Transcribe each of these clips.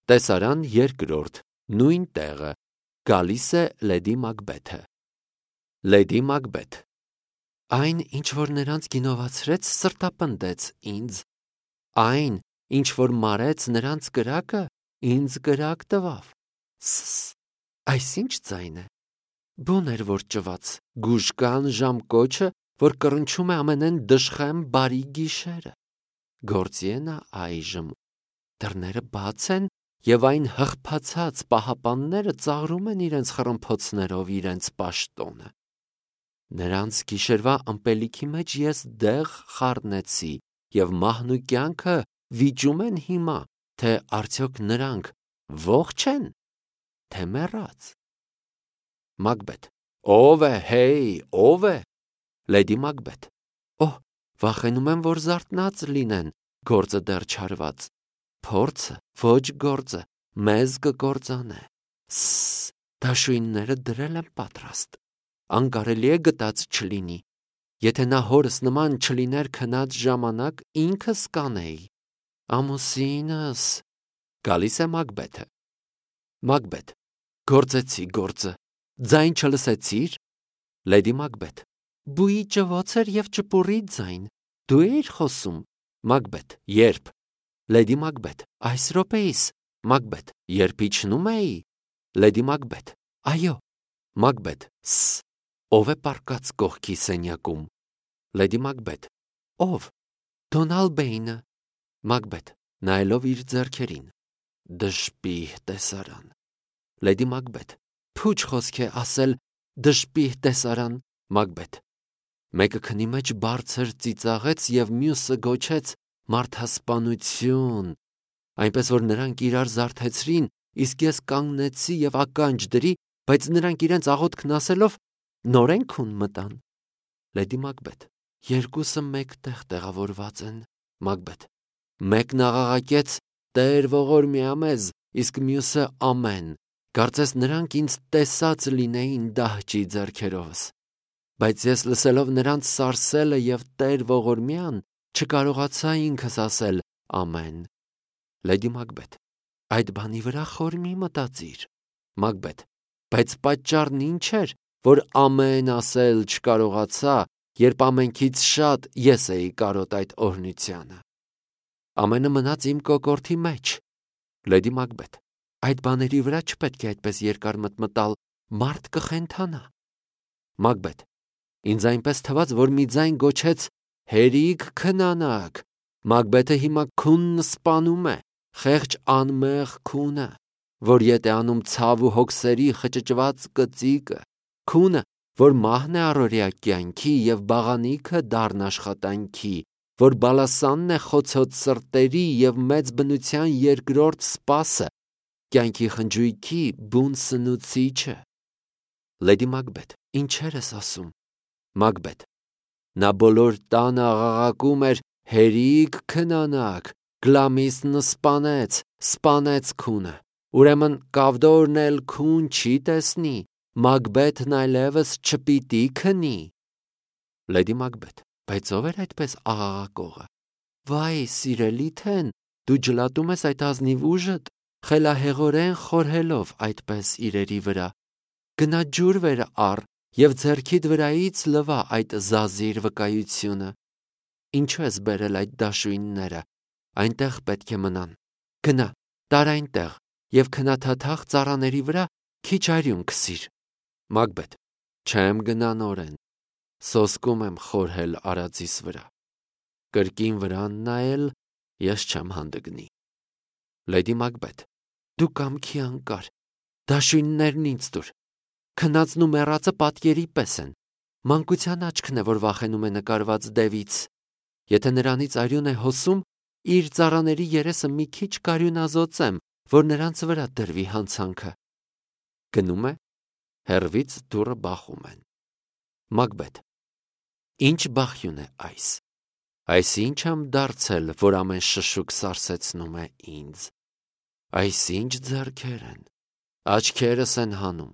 Տեսարան երկրորդ, նույն տեղը, գալիս է Լեդի Մակբեթը։ Լեդի Մակբեթ. Այն, ինչ որ նրանց գինովացրեց, սրտապնդեց ինձ։ Այն, ինչ որ մարեց նրանց կրակը, ինձ կրակ տվավ։ Այս ինչ ձայն է։ Բուն էր, որ ճված, գուժկան ժամկոչը, որ կռնչում է ամենեն դժխեմ բարի գիշերը։ Գործի է նա այժմ։ Դռները բաց են, և այն հղբացած պահապանները ծաղրում են իրենց խռմփոցներով իրենց պաշտոնը։ Նրանց գիշերվա ըմպելիքի մեջ ես դեղ խառնեցի, և մահն ու կյանքը վիճում են հիմա, թե արդյոք նրանք ողջ են, թե մեռած։ Մակբեթ. Ո՞վ է, հեյ, ո՞վ է։ Լեդի Մակբեթ. Օհ, վախենում եմ, որ զարթնած լինեն, գործը դեռ չարված։ Փորձը, ոչ գործը, մեզ կկործանե։ Դաշույնները դրել եմ պատրաստ։ Անկարելի է գտած չլինի։ Եթե նա հորս նման չլիներ քնած ժամանակ, ինքս կանեի։ Ամուսինս։ Գալիս է Մակբեթը։ Մակբեթ. Գործեցի գործը։ Ձայն չլսեցիր։ Լեդի Մակբեթ. Բուի ճվոց էր և ճպուրի ձայն։ Դու էիր խոսում։ Մակբեթ. Երբ։ Լեդի Մակբեթ. Այս րոպեիս։ Մակբեթ. Երբ իջնում էի։ Լեդի Մակբեթ. Այո։ Մակբեթ. Ով է պառկած կողքի սենյակում։ Լեդի Մակբեթ. Ով։ Դոնալբեյնը։ Մակբեթ. Նայելով իր ձեռքերին։ Դժպիհ տեսարան։ Լեդի Մակբեթ. Փուչ խոսք է ասել դժպիհ տեսարան։ Մակբեթ. Մեկը քնի մեջ բարձր ծիծաղեց և մյուսը գոչեց մարդասպանություն, այնպես որ նրանք իրար զարթեցրին, իսկ ես կանգնեցի և ականջ դրի, բայց նրանք իրենց աղոթքն ասելով նորենքուն մտան։ Լեդի Մակբեթ. Երկուսը մեկտեղ տեղավորված են։ Մակբեթ. Մեկն աղաղակեց Տեր ողորմյա մեզ, իսկ մյուսը ամեն։ Կարծես նրանք ինձ տեսած լինեին դահճի ձեռքերովս։ Բայց ես լսելով նրանց սարսելը և Տեր ողորմյան, չկարողացա ինքս ասել ամեն։ Լեդի Մակբեթ. Այդ բանի վրա խոր մի մտածիր։ Մակբեթ. Բայց պատճառն ինչ էր, որ ամեն ասել չկարողացա, երբ ամենքից շատ ես էի կարոտ այդ օրհնությանը։ Ամենը մնաց իմ կոկորդի մեջ։ Լեդի Մակբեթ. Այդ բաների վրա չպետք է այդպես երկար մտմտալ, մարդ կխենթանա։ Մակբեթ. Ինձ այնպես թվաց, որ մի ձայն գոչեց հերիք քնանաք։ Մակբեթը հիմա քունն սպանում է, խեղճ անմեղ քունը, որ ետ է անում ցավ ու հոգսերի խճճված կծիկը, քունը, որ մահն է առօրյա կյանքի և բաղանիքը դառն աշխատանքի, որ բալասանն է խոցոց սրտերի և մեծ բնության երկրորդ սպասը, կյանքի խնջույքի բուն սնուցիչը։ Լեդի Մակբեթ. Ինչեր ես ասում։ Մակբեթ. Նա բոլոր տանը աղաղակում էր հերիք քնանաք, Գլամիսն սպանեց քունը, ուրեմն Կավդորն էլ քուն չի տեսնի, Մակբեթն այլևս չպիտի քնի։ Լեդի Մակբեթ. Բայց ով էր այդպես աղաղակողը։ Վայ, սիրելի թեն, դու ջլատում ես այդ ազնիվ ուժդ, խելահեղորեն խորհելով այդպես իրերի վրա։ Գնա ջուր վեր առ և ձեռքիդ վրայից լվա այդ զազիր վկայությունը։ Ինչու ես բերել այդ դաշույնները, այնտեղ պետք է մնան։ Գնա, տար այնտեղ և քնաթաթախ ծառաների վրա քիչ արյուն քսիր։ Մակբեթ. Չեմ գնա նորեն, սոսկում եմ խորհել արածիս վրա, կրկին վրան նայել ես չեմ հանդգնի։ Լեդի Մակբեթ. Դու կամքի անկար, դաշույններն ինձ տուր, քնածն ու մեռածը պատկերի պես են, մանկության աչքն է, որ վախենում է նկարված դևից, եթե նրանից արյուն է հոսում, իր ծառաների երեսը մի քիչ կարյունազօծեմ, որ նրանց վրա դրվի հանցանքը։ Գնում է, հեռվից դուռը բախում են։ Մակբեթ. Ինչ բախյուն է այս։ Այս ինչ եմ դարձել, որ ամեն շշուկ սարսեցնում է ինձ։ Այս ինչ ձեռքեր են, աչքերս են հանում։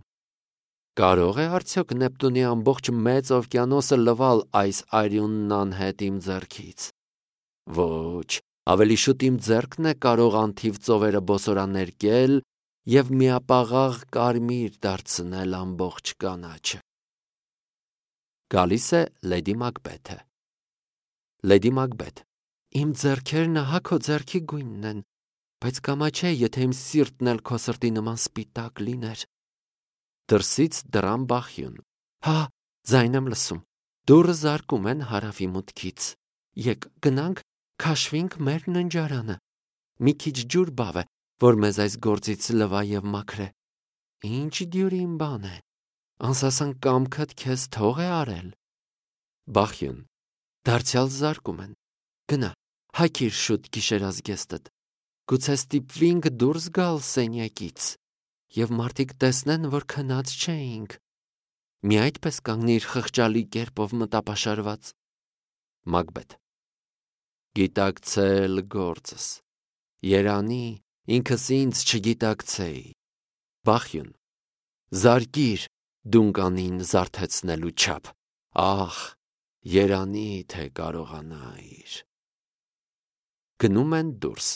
Կարող է արդյոք Նեպտունի ամբողջ մեծ օվկիանոսը լվալ այս արյունն անհետ իմ ձեռքից։ Ոչ, Ավելի շուտ իմ ձեռքն է կարող անթիվ ծովերը բոսորաներկել և միապաղաղ կարմիր դարձնել ամբողջ կանաչը։ Գալիս է Լեդի Մակբեթը։ Լեդի Մակբեթ. Իմ ձեռքերն ահա քո ձեռքի գույնն են, բայց կամաչե, եթե իմ սիրտն էլ քո սրտի նման սպիտակ լիներ։ Դրսից դռան բախյուն. Հա, ձայն եմ լսում, դուռը զարկում են հարավի մուտքից։ Եկ գնանք, քաշվինք մեր ննջարանը։ Մի քիչ ջուր բավ է, որ մեզ այս գործից լվա և մաքրե։ Ինչ դյուրին բան է, անսասան կամքդ քեզ թող է արել։ Բախյուն. Դարձյալ զարկում են։ Գնա, հագիր շուտ գիշերազգեստդ։ Գուցե ստիպվինք դուրս գալ սենյակից, և մարդիկ տեսնեն, որ քնած չէինք։ Մի այդպես կանգնիր խղճալի կերպով մտապաշարված։ Մակբեթ. Գիտակցել գործս, երանի ինքս ինձ չգիտակցեի։ Բախյուն. Զարկիր դունկանին զարթեցնելու չափ, ախ, երանի թե կարողանայիր։ Գնում են դուրս։